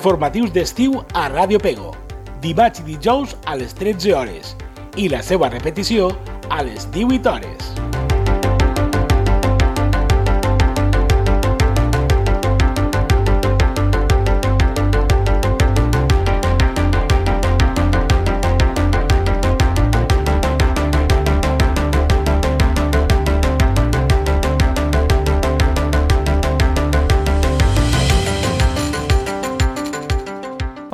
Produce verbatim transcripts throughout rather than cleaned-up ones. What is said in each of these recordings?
Informatius d'estiu a Ràdio Pego, dimarts i dijous a les tretze hores i la seva repetició a les divuit hores.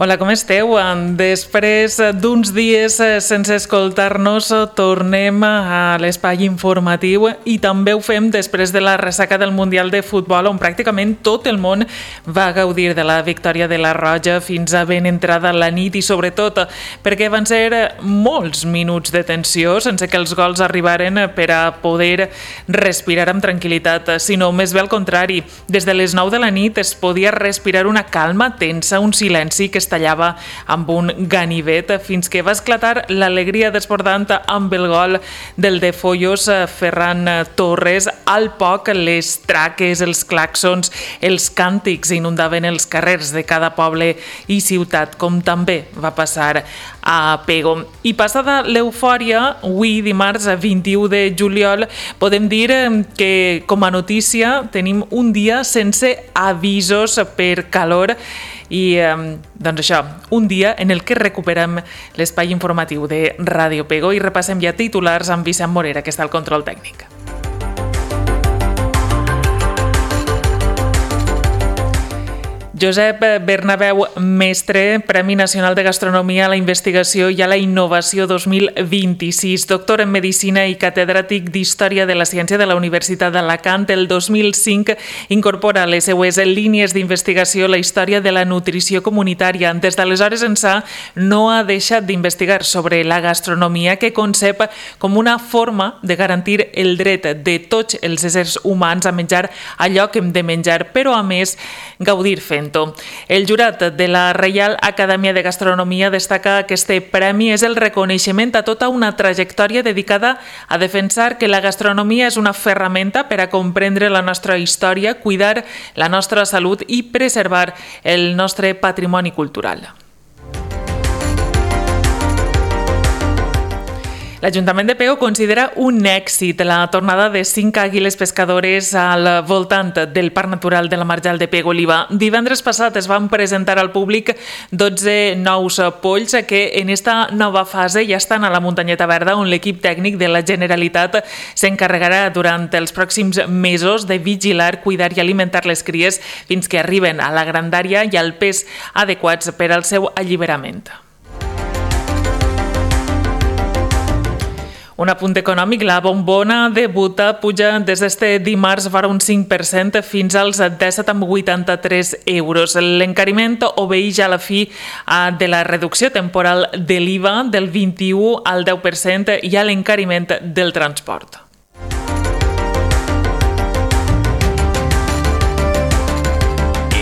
Hola, com esteu? Després d'uns dies sense escoltar-nos, tornem a l'espai informatiu i també ho fem després de la ressaca del Mundial de Futbol, on pràcticament tot el món va gaudir de la victòria de la Roja fins a ben entrada la nit i sobretot perquè van ser molts minuts de tensió sense que els gols arribaren per a poder respirar amb tranquil·litat, sinó més bé al contrari. Des de les nou de la nit es podia respirar una calma tensa, un silenci que es tallava amb un ganivet fins que va esclatar l'alegria desbordant amb el gol del de Follos Ferran Torres. Al poc, les traques, els claxons, els càntics inundaven els carrers de cada poble i ciutat, com també va passar a Pego. I passada l'eufòria, avui dimarts vint-i-u de juliol, podem dir que com a notícia tenim un dia sense avisos per calor i doncs això, un dia en el que recuperem l'espai informatiu de Ràdio Pego i repassem ja titulars amb Vicent Morera, que està al control tècnic. Josep Bernabéu Mestre, Premi Nacional de Gastronomia a la Investigació i a la Innovació dos mil vint-i-sis, doctor en Medicina i catedràtic d'Història de la Ciència de la Universitat d'Alacant. El dos mil cinc incorpora a les seues línies d'investigació la història de la nutrició comunitària. Des d'aleshores ençà no ha deixat d'investigar sobre la gastronomia, que concep com una forma de garantir el dret de tots els éssers humans a menjar allò que hem de menjar, però a més gaudir fent. El jurat de la Reial Acadèmia de Gastronomia destaca que este premi és el reconeixement a tota una trajectòria dedicada a defensar que la gastronomia és una ferramenta per a comprendre la nostra història, cuidar la nostra salut i preservar el nostre patrimoni cultural. L'Ajuntament de Pego considera un èxit la tornada de cinc àguiles pescadores al voltant del Parc Natural de la Marjal de Pego-Oliva. Divendres passat es van presentar al públic dotze nous polls que en esta nova fase ja estan a la muntanyeta verda, on l'equip tècnic de la Generalitat s'encarregarà durant els pròxims mesos de vigilar, cuidar i alimentar les cries fins que arriben a la grandària i al pes adequats per al seu alliberament. Un apunt econòmic, la bombona de Buta puja des d'este dimarts vora un cinc per cent fins als disset coma vuitanta-tres euros. L'encariment obeeix a la fi de la reducció temporal de l'I V A del vint-i-u al deu per cent i a l'encariment del transport.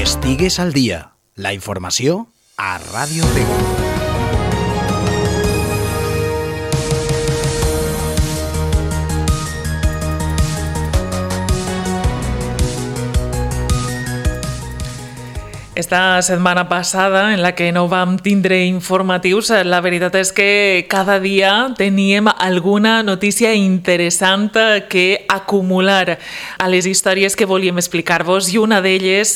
Estigues al dia. La informació a Ràdio Pego. Esta setmana passada, en la que no vam tindre informatius, la veritat és que cada dia teníem alguna notícia interessant que acumular a les històries que volíem explicar-vos, i una d'elles,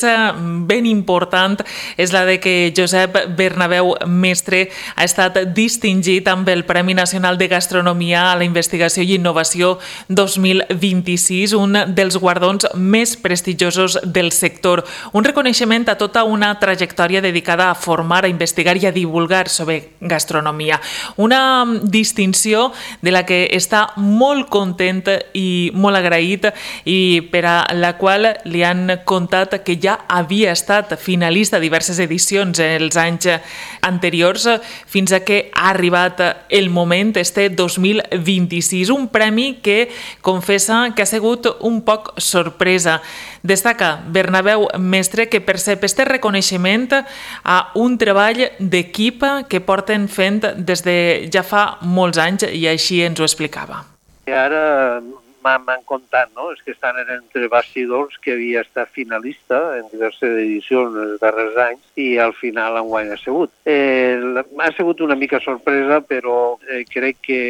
ben important, és la de que Josep Bernabéu Mestre ha estat distingit amb el Premi Nacional de Gastronomia a la Investigació i Innovació dos mil vint-i-sis, un dels guardons més prestigiosos del sector. Un reconeixement a tota una trajectòria dedicada a formar, a investigar i a divulgar sobre gastronomia. Una distinció de la que està molt content i molt agraït i per a la qual li han contat que ja havia estat finalista a diverses edicions els anys anteriors, fins a que ha arribat el moment, este dos mil vint-i-sis, un premi que confessa que ha sigut un poc sorpresa. Destaca Bernabéu Mestre que percep este reconeixement a un treball d'equip que porten fent des de ja fa molts anys, i així ens ho explicava. Ara m'han contat, no? És que estan entre bastidors que havia estat finalista en diverses edicions els darrers anys i al final enguany ha sigut. Eh, ha sigut una mica sorpresa, però eh, crec que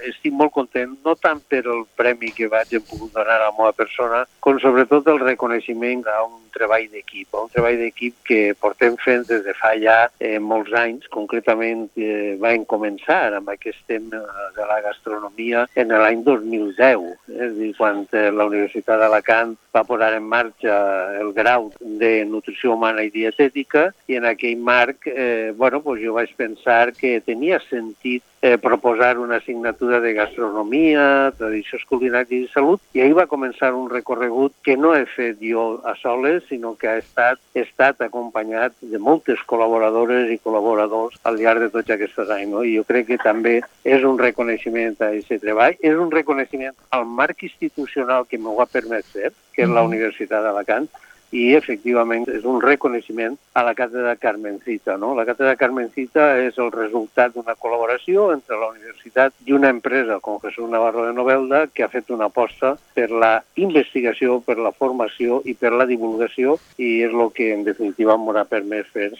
estic molt content, no tant per el premi que vaig pogut donar a la meva persona, com sobretot el reconeixement a un treball d'equip, un treball d'equip que portem fent des de fa ja eh, molts anys. Concretament eh, vam començar amb aquest tema de la gastronomia en l'any dos mil deu, eh, és a dir, quan eh, la Universitat d'Alacant va posar en marxa el grau de nutrició humana i dietètica, i en aquell marc eh, bueno, pues jo vaig pensar que tenia sentit eh, proposar una assignatura de gastronomia, tradicions culinàries i salut, i ahir va començar un recorregut que no he fet jo a soles, sinó que ha estat, he estat acompanyat de moltes col·laboradores i col·laboradors al llarg de tots aquests anys. No? I jo crec que també és un reconeixement a aquest treball, és un reconeixement al marc institucional que m'ho ha permès fer, que és la Universitat d'Alacant, i efectivament és un reconeixement a la Càtedra Carmencita. No? La Càtedra Carmencita és el resultat d'una col·laboració entre la universitat i una empresa com Jesús Navarro de Novelda, que ha fet una aposta per la investigació, per la formació i per la divulgació, i és el que en definitiva m'ha permès fer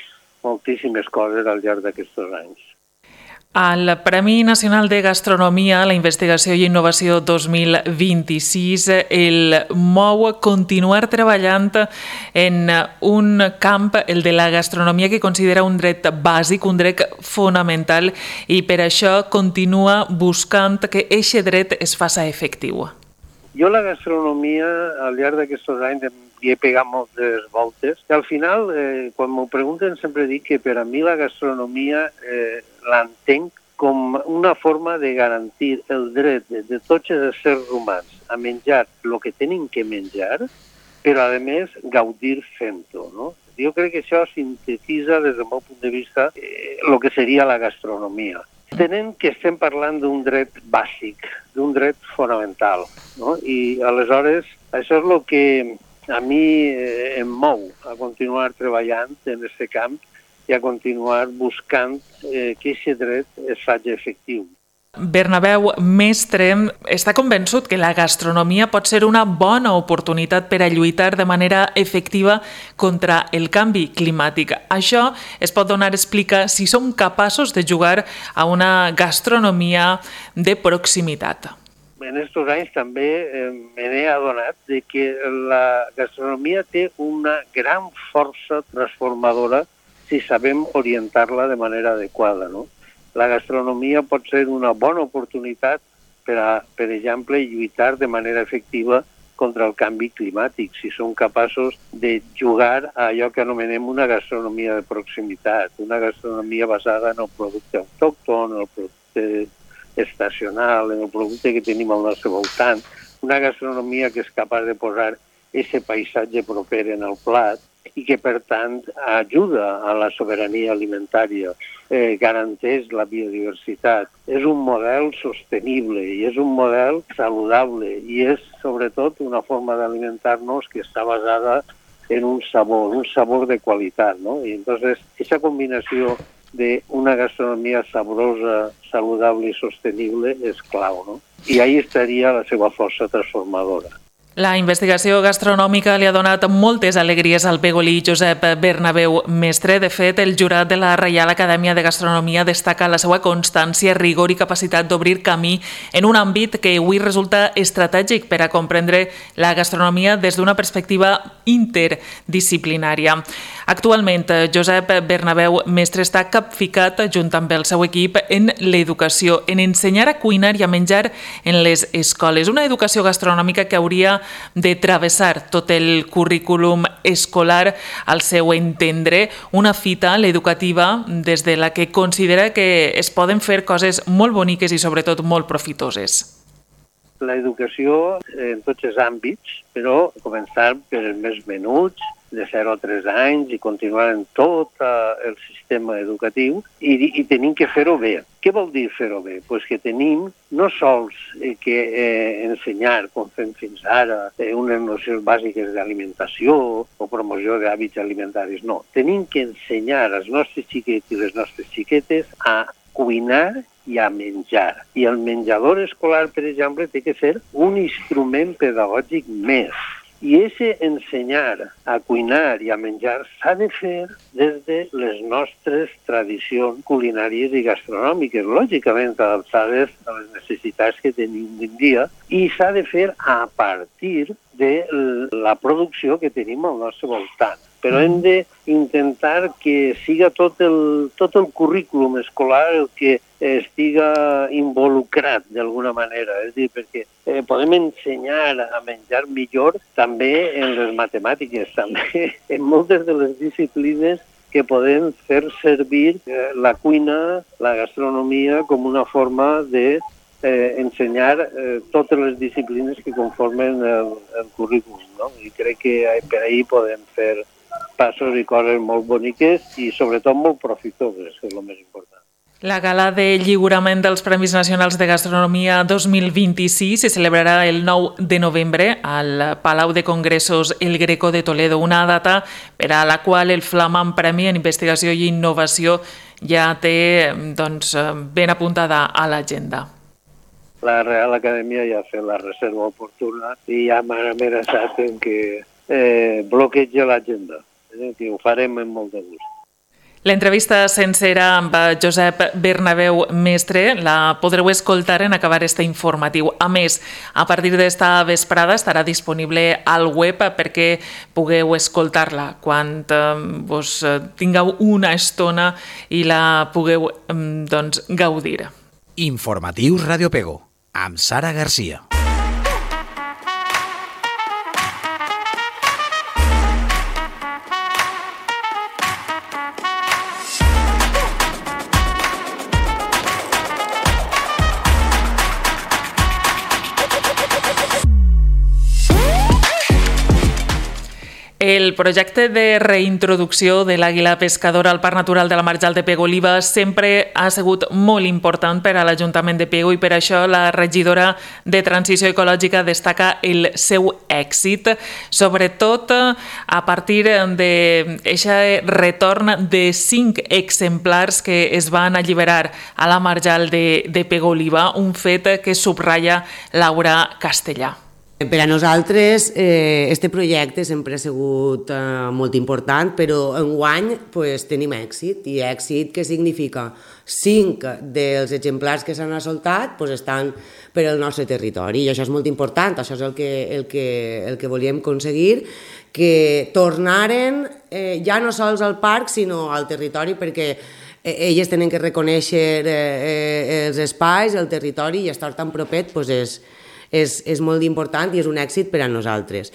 moltíssimes coses al llarg d'aquests anys. El Premi Nacional de Gastronomia, la Investigació i Innovació dos mil vint-i-sis el mou a continuar treballant en un camp, el de la gastronomia, que considera un dret bàsic, un dret fonamental, i per això continua buscant que aquest dret es faci efectiu. Jo la gastronomia, al llarg d'aquests anys, hi he pegat moltes voltes. I al final, eh, quan m'ho pregunten, sempre dic que per a mi la gastronomia eh, l'entenc com una forma de garantir el dret de, de tots els éssers humans a menjar el que tenen que menjar, però a més gaudir fent-ho. No? Jo crec que això sintetitza des del meu punt de vista eh, el que seria la gastronomia. Tenen que estem parlant d'un dret bàsic, d'un dret fonamental. No? I aleshores això és el que a mi eh, em mou a continuar treballant en aquest camp i a continuar buscant eh, que aquest dret es faci efectiu. Bernabéu Mestre està convençut que la gastronomia pot ser una bona oportunitat per a lluitar de manera efectiva contra el canvi climàtic. Això es pot donar a explicar si som capaços de jugar a una gastronomia de proximitat. En aquests anys també eh, me n'he adonat de que la gastronomia té una gran força transformadora si sabem orientar-la de manera adequada. No? La gastronomia pot ser una bona oportunitat per, a, per exemple, lluitar de manera efectiva contra el canvi climàtic, si som capaços de jugar a allò que anomenem una gastronomia de proximitat, una gastronomia basada en el producte autòcton, en el producte estacional, en el producte que tenim al nostre voltant, una gastronomia que és capaç de posar aquest paisatge proper en el plat i que, per tant, ajuda a la sobirania alimentària, eh, garanteix la biodiversitat. És un model sostenible i és un model saludable i és, sobretot, una forma d'alimentar-nos que està basada en un sabor, un sabor de qualitat. No? I entonces, aquesta combinació d'una gastronomia saborosa, saludable i sostenible és clau, no? I ahí estaria la seva força transformadora. La investigació gastronòmica li ha donat moltes alegries al pegolí Josep Bernabéu Mestre. De fet, el jurat de la Reial Acadèmia de Gastronomia destaca la seva constància, rigor i capacitat d'obrir camí en un àmbit que avui resulta estratègic per a comprendre la gastronomia des d'una perspectiva interdisciplinària. Actualment, Josep Bernabéu Mestre està capficat, junt amb el seu equip, en l'educació, en ensenyar a cuinar i a menjar en les escoles. Una educació gastronòmica que hauria de travessar tot el currículum escolar, al seu entendre, una fita, l'educativa, des de la que considera que es poden fer coses molt boniques i sobretot molt profitoses. L'educació en tots els àmbits, però començar per els més menuts, de zero a tres anys, i continuar en tot el sistema educatiu, i, i tenim que fer-ho bé. Què vol dir fer-ho bé? Pues que tenim no sols que eh, ensenyar, com fem fins ara, eh, unes nocions bàsiques d'alimentació o promoció d'hàbits alimentaris, no. Tenim que ensenyar als nostres xiquets i les nostres xiquetes a cuinar i a menjar. I el menjador escolar, per exemple, té que ser un instrument pedagògic més. I aquest ensenyar a cuinar i a menjar s'ha de fer des de les nostres tradicions culinàries i gastronòmiques, lògicament adaptades a les necessitats que tenim avui dia, i s'ha de fer a partir de la producció que tenim al nostre voltant. Però hem d'intentar que siga tot el, tot el currículum escolar el que estiga involucrat d'alguna manera. És a dir, perquè eh, podem ensenyar a menjar millor també en les matemàtiques, també en moltes de les disciplines que podem fer servir eh, la cuina, la gastronomia, com una forma de eh, ensenyar eh, totes les disciplines que conformen el, el currículum, no? I crec que per ahir podem fer passos i coses molt boniques i sobretot molt profitoses, que és el més important. La gala de lliurament dels Premis Nacionals de Gastronomia dos mil vint-i-sis se celebrarà el nou de novembre al Palau de Congressos El Greco de Toledo, una data per a la qual el flamant Premi en Investigació i Innovació ja té doncs, ben apuntada a l'agenda. La Real Acadèmia ja ha fet la reserva oportuna i ja m'ha amenaçat en que eh, bloqueja l'agenda. Que ho farem amb molt de gust. L'entrevista sencera amb Josep Bernabeu Mestre la podreu escoltar en acabar este informatiu. A més, a partir d'esta vesprada estarà disponible al web perquè pugueu escoltar-la quan eh, vos tingueu una estona i la pugueu eh, doncs, gaudir. Informatius Radio Pego, amb Sara Garcia. El projecte de reintroducció de l'àguila pescadora al Parc Natural de la Marjal de Pego-Oliva sempre ha sigut molt important per a l'Ajuntament de Pego i per això la regidora de Transició Ecològica destaca el seu èxit, sobretot a partir d'aquest retorn de cinc exemplars que es van alliberar a la Marjal de, de Pego-Oliva, un fet que subratlla Laura Castellà. Per a nosaltres eh, este projecte sempre ha sigut eh, molt important, però enguany pues, tenim èxit. I èxit què significa? Cinc dels exemplars que s'han assoltat pues, estan per al nostre territori i això és molt important, això és el que, el que, el que volíem aconseguir, que tornaren eh, ja no sols al parc sinó al territori perquè elles tenen que reconèixer eh, els espais, el territori i estar tan propet pues, és És, és molt important i és un èxit per a nosaltres.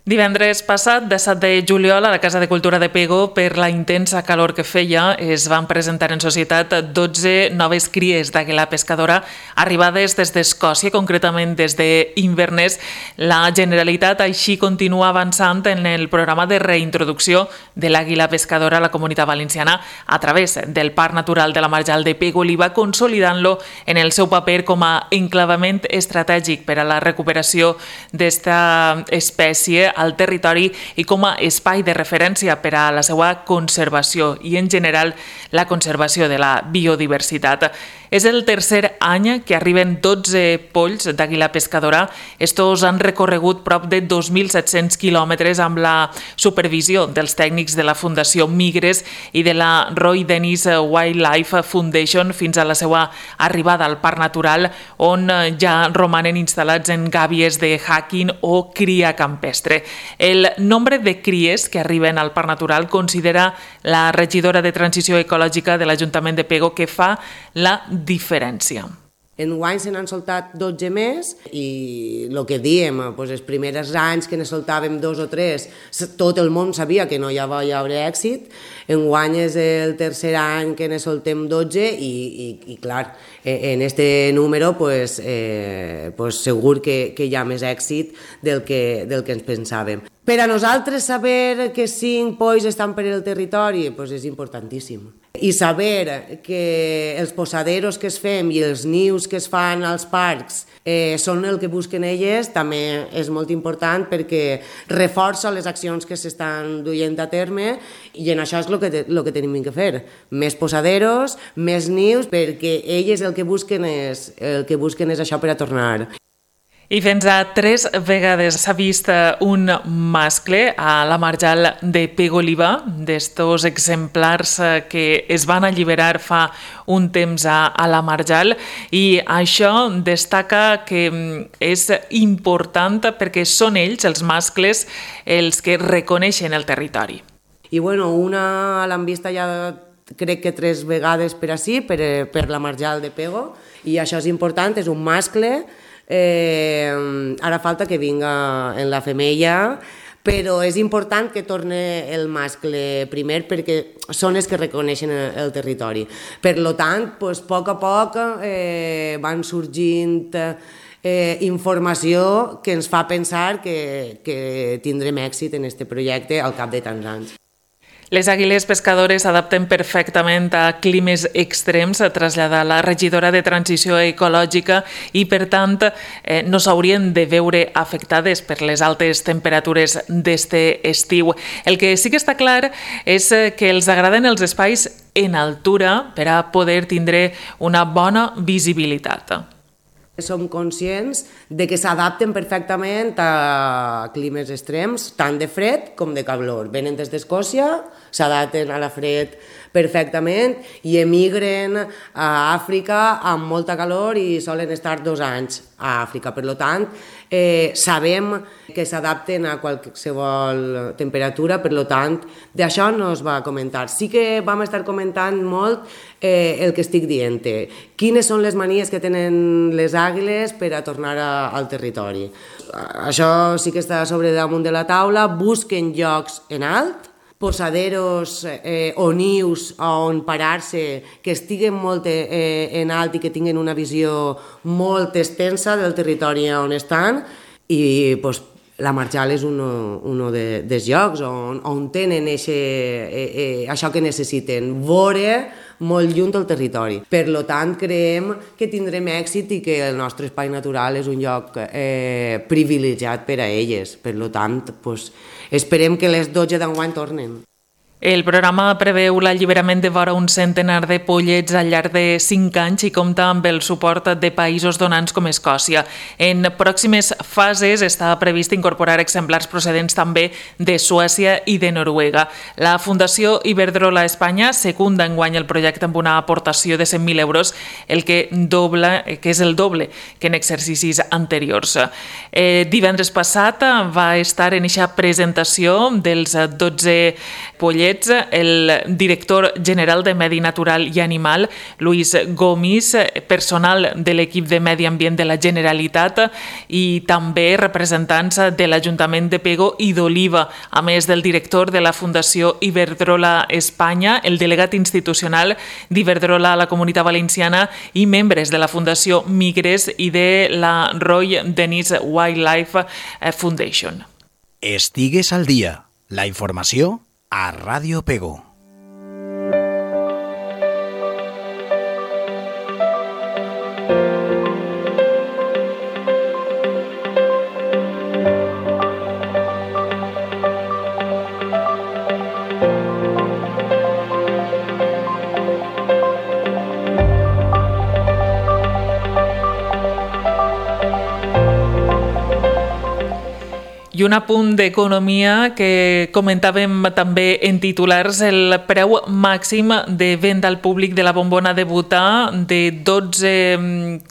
Divendres passat, disset de juliol, a la Casa de Cultura de Pego, per la intensa calor que feia, es van presentar en societat dotze noves cries d'àguila pescadora arribades des d'Escòcia, concretament des d'Inverness. La Generalitat així continua avançant en el programa de reintroducció de l'àguila pescadora a la Comunitat Valenciana a través del Parc Natural de la Marjal de Pego-Oliva, consolidant-lo en el seu paper com a enclavament estratègic per a la recuperació d'esta espècie al territori i com a espai de referència per a la seva conservació i, en general, la conservació de la biodiversitat. És el tercer any que arriben dotze polls d'àguila pescadora. Estos han recorregut prop de dos mil set-cents quilòmetres amb la supervisió dels tècnics de la Fundació Migres i de la Roy Dennis Wildlife Foundation fins a la seva arribada al Parc Natural, on ja romanen instal·lats en gàbies de hacking o cria campestre. El nombre de cries que arriben al Parc Natural considera la regidora de Transició Ecològica de l'Ajuntament de Pego que fa la diferència. Enguany se n'han soltat dotze més i el que diem, doncs els primers anys que ne soltàvem dos o tres, tot el món sabia que no hi va haver èxit. Enguany és el tercer any que ne soltem dotze i, i, i clar, en este número pues, eh, pues segur que, que hi ha més èxit del que, del que ens pensàvem. Per a nosaltres saber que cinc polls estan per el territori pues és importantíssim. I saber que els posaderos que es fem i els nius que es fan als parcs eh, són el que busquen elles també és molt important perquè reforça les accions que s'estan duent a terme i en això és el que, te, lo que tenim que fer. Més posaderos, més nius, perquè elles el que busquen és, el que busquen és això per a tornar. I fins a tres vegades s'ha vist un mascle a la marjal de Pego Oliva, d'estos exemplars que es van alliberar fa un temps a, a la marjal, i això destaca que és important perquè són ells, els mascles, els que reconeixen el territori. I bueno, una l'han vista ja crec que tres vegades per ací, per, per la marjal de Pego, i això és important, és un mascle. Eh, ara falta que vinga en la femella, però és important que torne el mascle primer perquè són els que reconeixen el, el territori. Per lo tant, pues, a poc a poc eh, van sorgint eh, informació que ens fa pensar que, que tindrem èxit en aquest projecte al cap de tants anys. Les àguiles pescadores s'adapten perfectament a climes extrems, a traslladar la regidora de Transició Ecològica i, per tant, eh, no s'haurien de veure afectades per les altes temperatures d'este estiu. El que sí que està clar és que els agraden els espais en altura per a poder tindre una bona visibilitat. Som conscients de que s'adapten perfectament a climes extrems, tant de fred com de calor. Venen des d'Escòcia, s'adapten a la fred perfectament i emigren a Àfrica amb molta calor i solen estar dos anys a Àfrica. Per tant, eh, sabem que s'adapten a qualsevol temperatura, per tant, d'això no es va comentar. Sí que vam estar comentant molt eh, el que estic dient. Quines són les manies que tenen les àguiles per a tornar a, al territori. Això sí que està sobre damunt de la taula. Busquen llocs en alt, posaderos eh, o nius on parar-se que estiguen molt eh, en alt i que tinguin una visió molt extensa del territori on estan i pues, la marjal és un de, dels llocs on, on tenen eixe, eh, eh, això que necessiten, veure molt lluny del territori. Per tant, creiem que tindrem èxit i que el nostre espai natural és un lloc eh, privilegiat per a elles. Per tant, pues, esperem que les dotze d'enguany tornen. El programa preveu l'alliberament de vora un centenar de pollets al llarg de cinc anys i compta amb el suport de països donants com Escòcia. En pròximes fases està previst incorporar exemplars procedents també de Suècia i de Noruega. La Fundació Iberdrola Espanya secunda enguany el projecte amb una aportació de cent mil euros, el que, dobla, que és el doble que en exercicis anteriors. Eh, divendres passat va estar en eixa presentació dels dotze pollets el director general de Medi Natural i Animal, Luis Gomis, personal de l'equip de Medi Ambient de la Generalitat i també representants de l'Ajuntament de Pego i d'Oliva, a més del director de la Fundació Iberdrola Espanya, el delegat institucional d'Iberdrola a la Comunitat Valenciana i membres de la Fundació Migres i de la Roy Dennis Wildlife Foundation. Estigues al dia. La informació a Ràdio Pego. I un apunt d'economia que comentàvem també en titulars, el preu màxim de venda al públic de la bombona de butà de dotze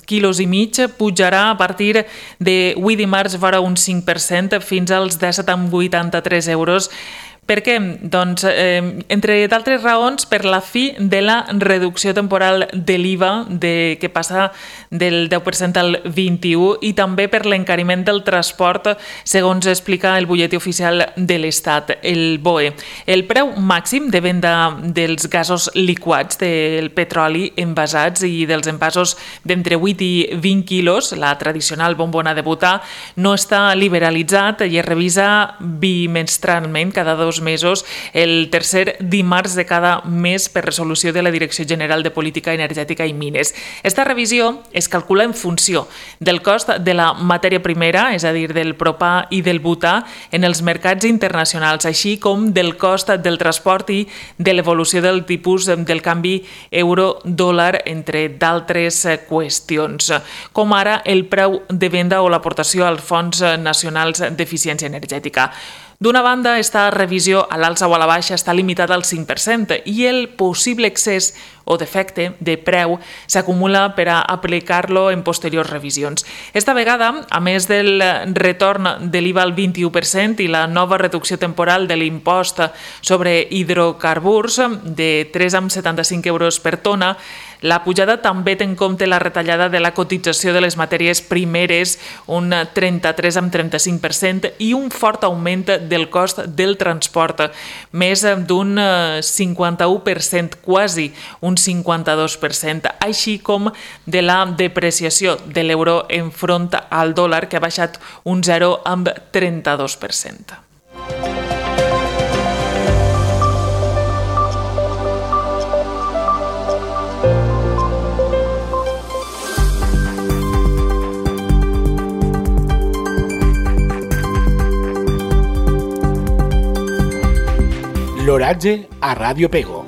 quilos i mig pujarà a partir de avui dimarts vora un cinc per cent fins als disset coma vuitanta-tres euros. Per què? Doncs, eh, entre d'altres raons, per la fi de la reducció temporal de l'I V A de, que passa del deu per cent al vint-i-u i també per l'encariment del transport, segons explica el butlletí oficial de l'Estat, el B O E. El preu màxim de venda dels gasos liquats, del petroli envasats i dels envasos d'entre vuit i vint quilos, la tradicional bombona de butà, no està liberalitzat i es revisa bimestralment cada dos dos mesos, el tercer dimarts de cada mes per resolució de la Direcció General de Política Energètica i Mines. Esta revisió es calcula en funció del cost de la matèria primera, és a dir, del propà i del butà, en els mercats internacionals, així com del cost del transport i de l'evolució del tipus del canvi euro-dòlar, entre d'altres qüestions, com ara el preu de venda o l'aportació als fons nacionals d'eficiència energètica. D'una banda, esta revisió a l'alça o a la baixa està limitada al cinc per cent i el possible excés o defecte de preu s'acumula per a aplicar-lo en posteriors revisions. Esta vegada, a més del retorn de l'I V A al vint-i-u per cent i la nova reducció temporal de l'impost sobre hidrocarburs de tres coma setanta-cinc euros per tona, la pujada també té en compte la retallada de la cotització de les matèries primeres, un trenta-tres coma trenta-cinc per cent, i un fort augment del cost del transport, més d'un cinquanta-u per cent, quasi un cinquanta-dos per cent, així com de la depreciació de l'euro enfront al dòlar, que ha baixat un zero coma trenta-dos per cent. L'oratge a Ràdio Pego.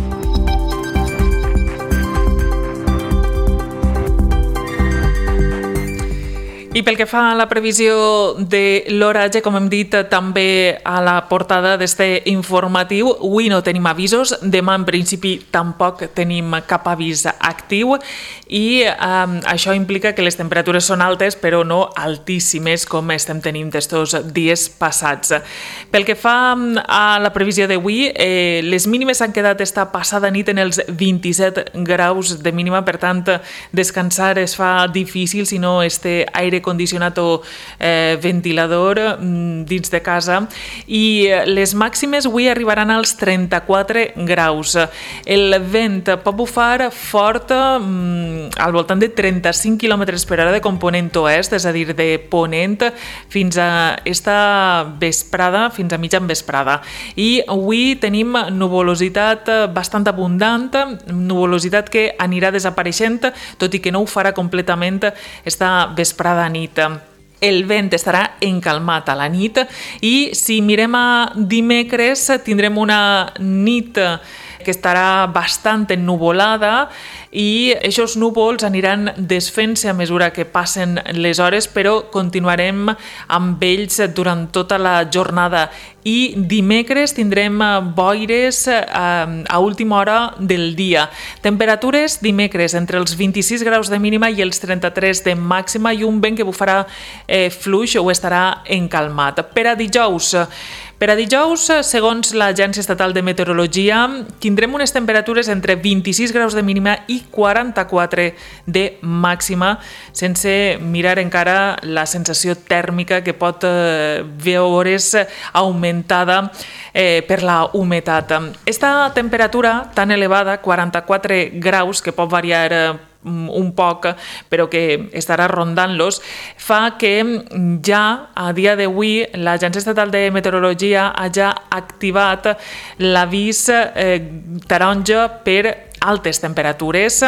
I pel que fa a la previsió de l'oratge, com hem dit també a la portada d'este informatiu, avui no tenim avisos, demà en principi tampoc tenim cap avís actiu i eh, això implica que les temperatures són altes però no altíssimes com estem tenint estos dies passats. Pel que fa a la previsió d'avui, eh, les mínimes s'han quedat esta passada nit en els vint-i-set graus de mínima, per tant descansar es fa difícil si no este aire condicionat o eh, ventilador mm, dins de casa, i les màximes avui arribaran als trenta-quatre graus. El vent pot bufar fort mm, al voltant de trenta-cinc quilòmetres per hora de component oest, és a dir, de ponent fins a esta vesprada, fins a mitjan vesprada. I avui tenim nuvolositat bastant abundant, nuvolositat que anirà desapareixent, tot i que no ho farà completament esta vesprada nit. El vent estarà encalmat a la nit i si mirem a dimecres tindrem una nit que estarà bastant ennuvolada i aquests núvols aniran desfent-se a mesura que passen les hores, però continuarem amb ells durant tota la jornada. I dimecres tindrem boires a última hora del dia. Temperatures dimecres entre els vint-i-sis graus de mínima i els trenta-tres de màxima, i un vent que bufarà eh, fluix o estarà encalmat. Per a dijous, Per a dijous, segons l'Agència Estatal de Meteorologia, tindrem unes temperatures entre vint-i-sis graus de mínima i quaranta-quatre de màxima, sense mirar encara la sensació tèrmica que pot eh, veure's augmentada eh, per la humitat. Esta temperatura tan elevada, quaranta-quatre graus, que pot variar eh, un poc, però que estarà rondant-los, fa que ja a dia d'avui l'Agència Estatal de Meteorologia hagi activat l'avís eh, taronja per altes temperatures,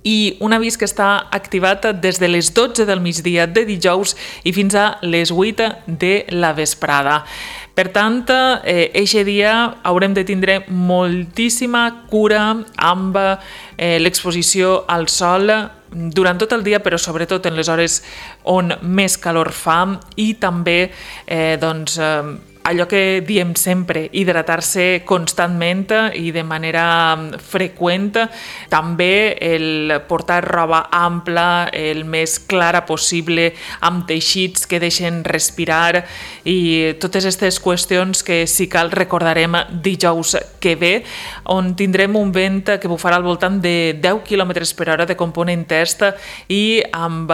i un avís que està activat des de les dotze del migdia de dijous i fins a les vuit de la vesprada. Per tant, eixe eh, dia haurem de tindre moltíssima cura amb eh, l'exposició al sol durant tot el dia, però sobretot en les hores on més calor fa, i també eh, doncs, eh, allò que diem sempre, hidratar-se constantment i de manera freqüent. També el portar roba ampla, el més clara possible, amb teixits que deixen respirar, i totes aquestes qüestions que, si cal, recordarem dijous que ve, on tindrem un vent que bufarà al voltant de deu quilòmetres per hora de component est i amb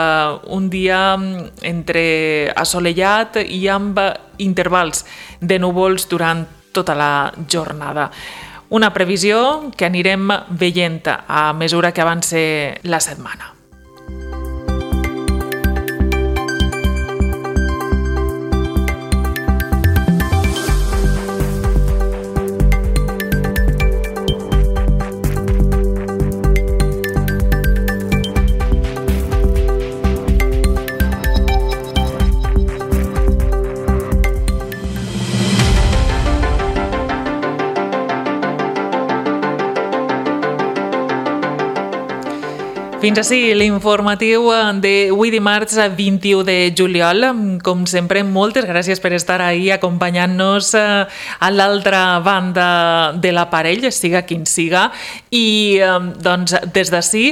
un dia entre assolellat i amb intervals de núvols durant tota la jornada. Una previsió que anirem veient a mesura que avance la setmana. Fins així l'informatiu d'avui dimarts vint-i-u de juliol. Com sempre, moltes gràcies per estar ahí acompanyant-nos a l'altra banda de l'aparell, siga quin siga. I doncs, des d'ací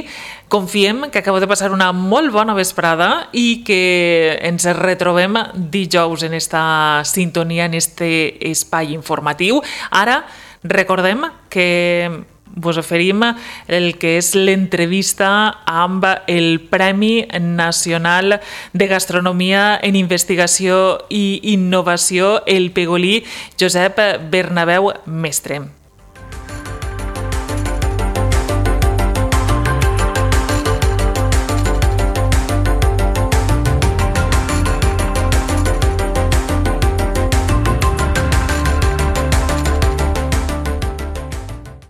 confiem que acabeu de passar una molt bona vesprada i que ens retrobem dijous en esta sintonia, en este espai informatiu. Ara, recordem que vos oferim el que és l'entrevista amb el Premi Nacional de Gastronomia en Investigació i Innovació, el Pegolí Josep Bernabéu Mestre.